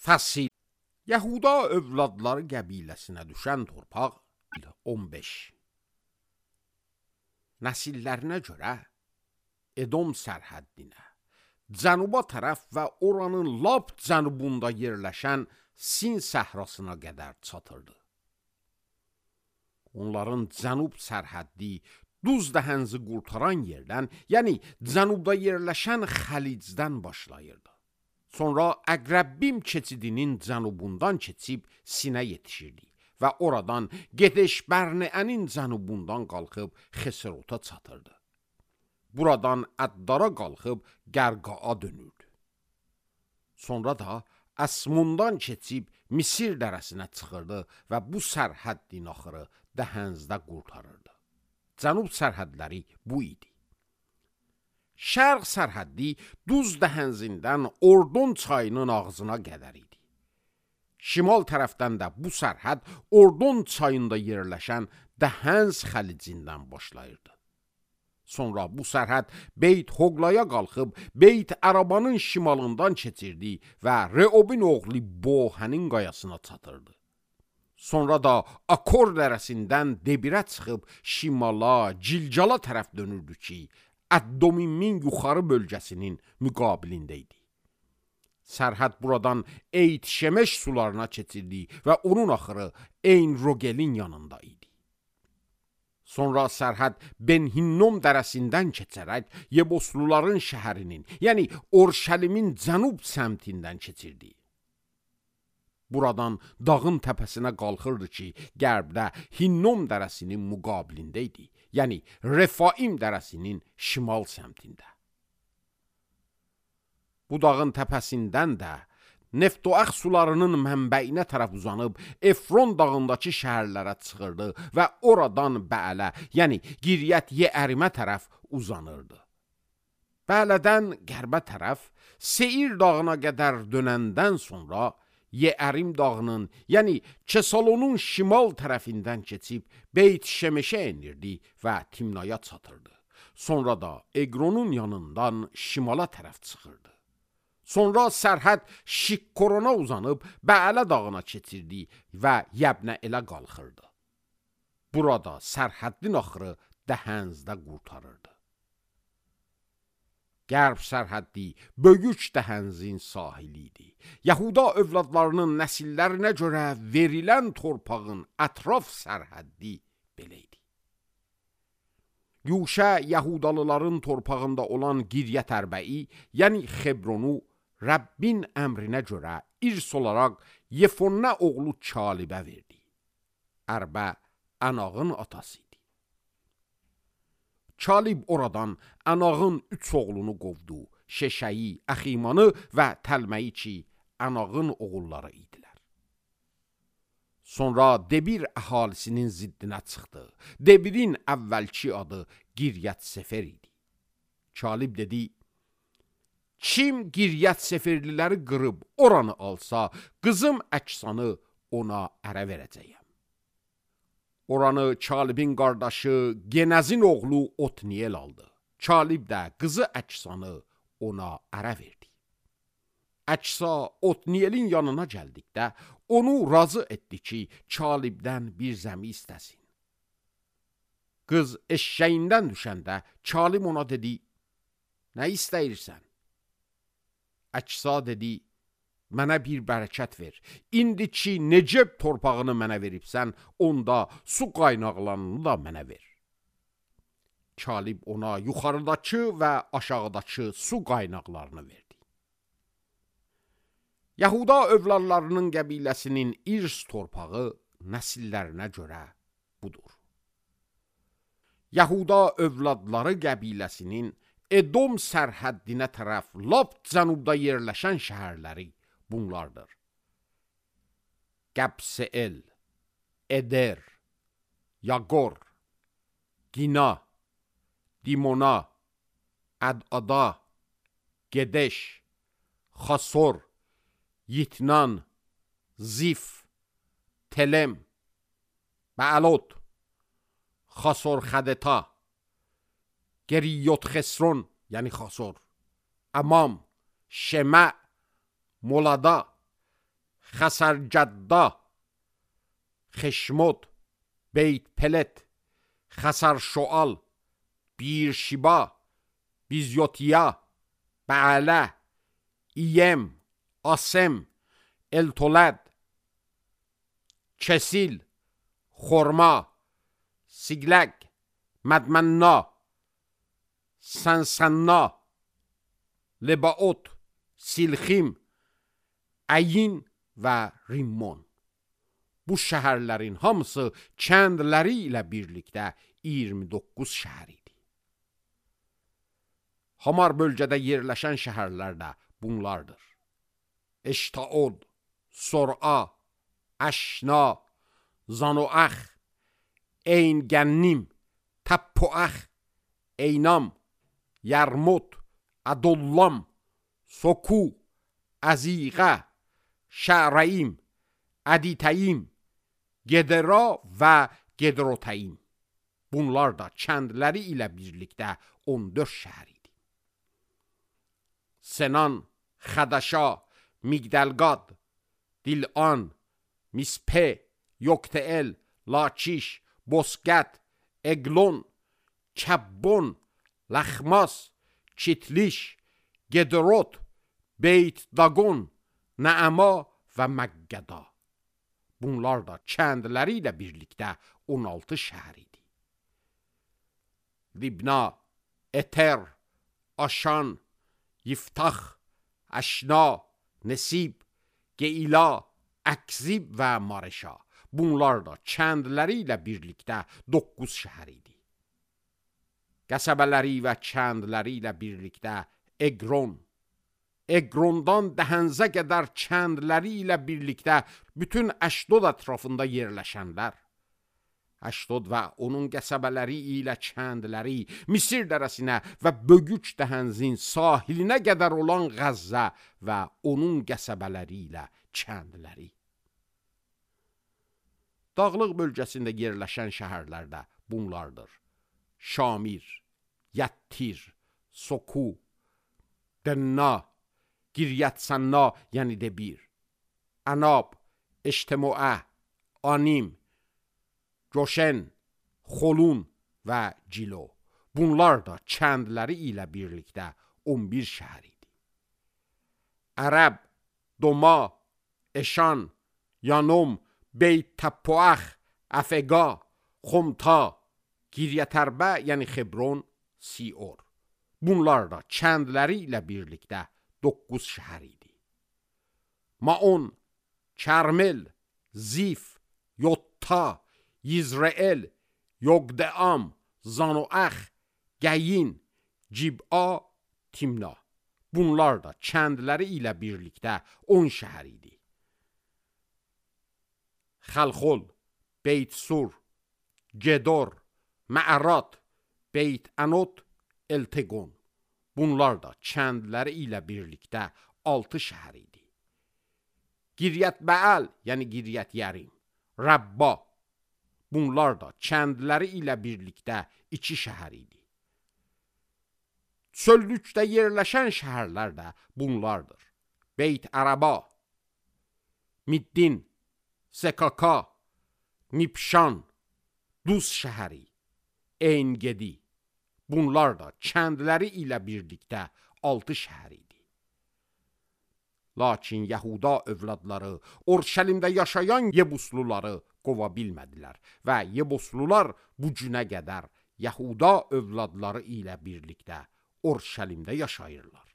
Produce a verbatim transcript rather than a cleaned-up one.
Fəsil. Yahuda övladları qəbiləsinə düşən torpaq on beş. Nəsillərinə görə Edom sərhəddinə, cənuba tərəf və oranın lap cənubunda yerləşən Sin səhrasına qədər çatırdı. Onların cənub sərhəddi Duz dəhənzi qurtaran yerdən, yəni cənubda yerləşən Xəlicdən başlayırdı. Sonra Əqrəbbim keçidinin cənubundan keçib Sinə yetişirdi və oradan Gedeş Bərneənin cənubundan qalxıb Xesrota çatırdı. Buradan Əddara qalxıb Qərqaa dönürdü. Sonra da Əsmundan keçib Misir dərəsinə çıxırdı və bu sərhəddin axırı Dəhənzdə qurtarırdı. Cənub sərhədləri bu idi. Şərq sərhəddi Duz dəhənzindən Ordon çayının ağzına qədər idi. Şimal tərəfdən də bu sərhəd Ordon çayında yerləşən Dəhənz xəlicindən başlayırdı. Sonra bu sərhəd Beyt Hoqlaya qalxıb Beyt Ərabanın şimalından keçirdi və Reobin oğlu Bohənin qayasına çatırdı. Sonra da Akor dərəsindən Debirə çıxıb şimala, Cilcala tərəf dönürdü ki, Əddomimin yuxarı bölgəsinin müqabilində idi. Sərhəd buradan Eyt Şemeş sularına keçirdi və onun axırı Eyn Rogelin yanında idi. Sonra sərhəd Ben Hinnom dərəsindən keçərək Yebosluların şəhərinin, yəni Orşəlimin cənub səmtindən keçirdi. Buradan dağın təpəsinə qalxırdı ki, qərbdə Hinnom dərəsinin müqabilində idi, yəni Refaim dərəsinin şimal səmtində. Bu dağın təpəsindən də Neftoax sularının mənbəyinə tərəf uzanıb Efron dağındakı şəhərlərə çıxırdı və oradan Bəələ, yəni Giryət Yeərimə tərəf uzanırdı. Bəələdən qərbə tərəf Seir dağına qədər dönəndən sonra Yeərim dağının, yəni Kesalonun şimal tərəfindən keçib Beyt Şemeşə enirdi və Timnaya çatırdı. Sonra da Eqronun yanından şimala tərəf çıxırdı. Sonra sərhəd Şikkorona uzanıb Bəələ dağına keçirdi və Yəbnə elə qalxırdı. Burada sərhəddin axırı Dəhənzdə qurtarırdı. Qərb sərhəddi böyük Dəhənzin sahili idi. Yahuda övladlarının nəsillərinə görə verilən torpağın ətraf sərhəddi belə idi. Yuşə Yahudalıların torpağında olan Giryət Ərbəyi, yəni Xebronu, Rəbbin əmrinə görə irs olaraq Yefonnə oğlu Kalibə verdi. Ərbə Ənağın atası idi. Kalib oradan Ənağın üç oğlunu qovdu, Şeşəyi, Əximanı və Təlməyi ki, Ənağın oğulları idilər. Sonra Debir əhalisinin ziddinə çıxdı. Debirin əvvəlki adı Giryət Sefer idi. Kalib dedi, kim Giryət Seferliləri qırıb oranı alsa, qızım Əksanı ona ərə verəcəyəm. Oranı Kalibin qardaşı Genəzin oğlu Otniyel aldı. Kalib də qızı Əksanı ona ərə verdi. Əksa Otniyelin yanına gəldikdə onu razı etdi ki, Kalibdən bir zəmi istəsin. Qız eşşəyindən düşəndə Kalib ona dedi, nə istəyirsən? Əksa dedi, mənə bir bərəkət ver. İndi ki, Neceb torpağını mənə veribsən, onda su qaynaqlarını da mənə ver. Kalib ona yuxarıdakı və aşağıdakı su qaynaqlarını verdi. Yahuda övladlarının qəbiləsinin irs torpağı nəsillərinə görə budur. Yahuda övladları qəbiləsinin Edom sərhəddinə tərəf lap cənubda yerləşən şəhərləri bunlardır. Qəbseel, Eder, Yaqor, Gina, Dimona, Ədada, Gedeş, Xasor, Yitnan, Zif, Telem, Bəəlot, Xasor Xədeta, Geriyot Xesron, yəni Xasor, Əmam, Şemə, Molada, Xəsərcədda, Xeşmod, Beyt Pelet, Xəsərşoal, Birşiba, Bizyotiya, Bələ, İyem, Asem, Eltolad, Kesil, Xorma, Sigləq, Mədmənna, Sənsənna, Lebaot, Silxim, Əyin və Rimmon. Bu şəhərlərin hamısı kəndləri ilə birlikdə iyirmi doqquz şəhər idi. Hamar bölgədə yerləşən şəhərlər də bunlardır. Eştaod, Sor'a, Əşna, Zanoax, Eyngənnim, Təppoax, Eynam, Yərmut, Ədollam, Soku, Əziqə, Şərəyim, Əditəyim, Gedera və Gedrotəyim. Bunlar da kəndləri ilə birlikdə on dörd şəhər idi. Senan, Xədəşa, Migdəlqad, Dilan, Mispe, Yokteel, Lakiş, Bosqət, Eglon, Kəbbon, Ləxmas, Kitliş, Gedrot, Beyt Dagon, Nəəma və Məqqəda. Bunlar da kəndləri ilə birlikdə on altı şəhər idi. Libna, Eter, Aşan, Yiftax, Əşna, Nesib, Geyla, Əkzib və Mareşa. Bunlar da kəndləri ilə birlikdə doqquz şəhər idi. Qəsəbələri və kəndləri ilə birlikdə Eqron, Eqrondan Dəhənzə qədər kəndləri ilə birlikdə bütün Əşdod ətrafında yerləşənlər, Əşdod və onun qəsəbələri ilə kəndləri, Misir dərəsinə və Bögüç Dəhənzin sahilinə qədər olan Qəzzə və onun qəsəbələri ilə kəndləri. Dağlıq bölgəsində yerləşən şəhərlər də bunlardır. Şamir, Yəttir, Soku, Dənna, Giryət-Sənna, yəni Debir, Ənab, Eştemoə, Anim, Coşen, Xolun və Cilo. Bunlar da kəndləri ilə birlikdə on bir şəhər idi. Ərəb, Doma, Eşan, Yanom, Beyt Təppoax, Əfəqa, Xomta, Giryətərbə, yəni Xebron, Sior. Bunlar da kəndləri ilə birlikdə doqquz şəhər idi. Maon, Kərmel, Zif, Yotta, Yizreel, Yogdeam, Zanoax, Gəyin, Cib'a, Timna. Bunlar da kəndləri ilə birlikdə on şəhər idi. Xəlxol, Beyt Sur, Gedor, Məərat, Beyt Ənot, Elteqon. Bunlar da kəndləri ilə birlikdə altı şəhər idi. Giryət Bəəl, yəni Giryət Yərim, Rəbba. Bunlar da kəndləri ilə birlikdə iki şəhər idi. Çöllükdə yerləşən şəhərlər də bunlardır. Beyt Ərəba, Middin, Sekaka, Nipşan, Duz şəhəri, Eyngedi. Bunlar da kəndləri ilə birlikdə altı şəhər idi. Lakin Yahuda övladları Orşəlimdə yaşayan Yebusluları qova bilmədilər və Yebuslular bu günə qədər Yahuda övladları ilə birlikdə Orşəlimdə yaşayırlar.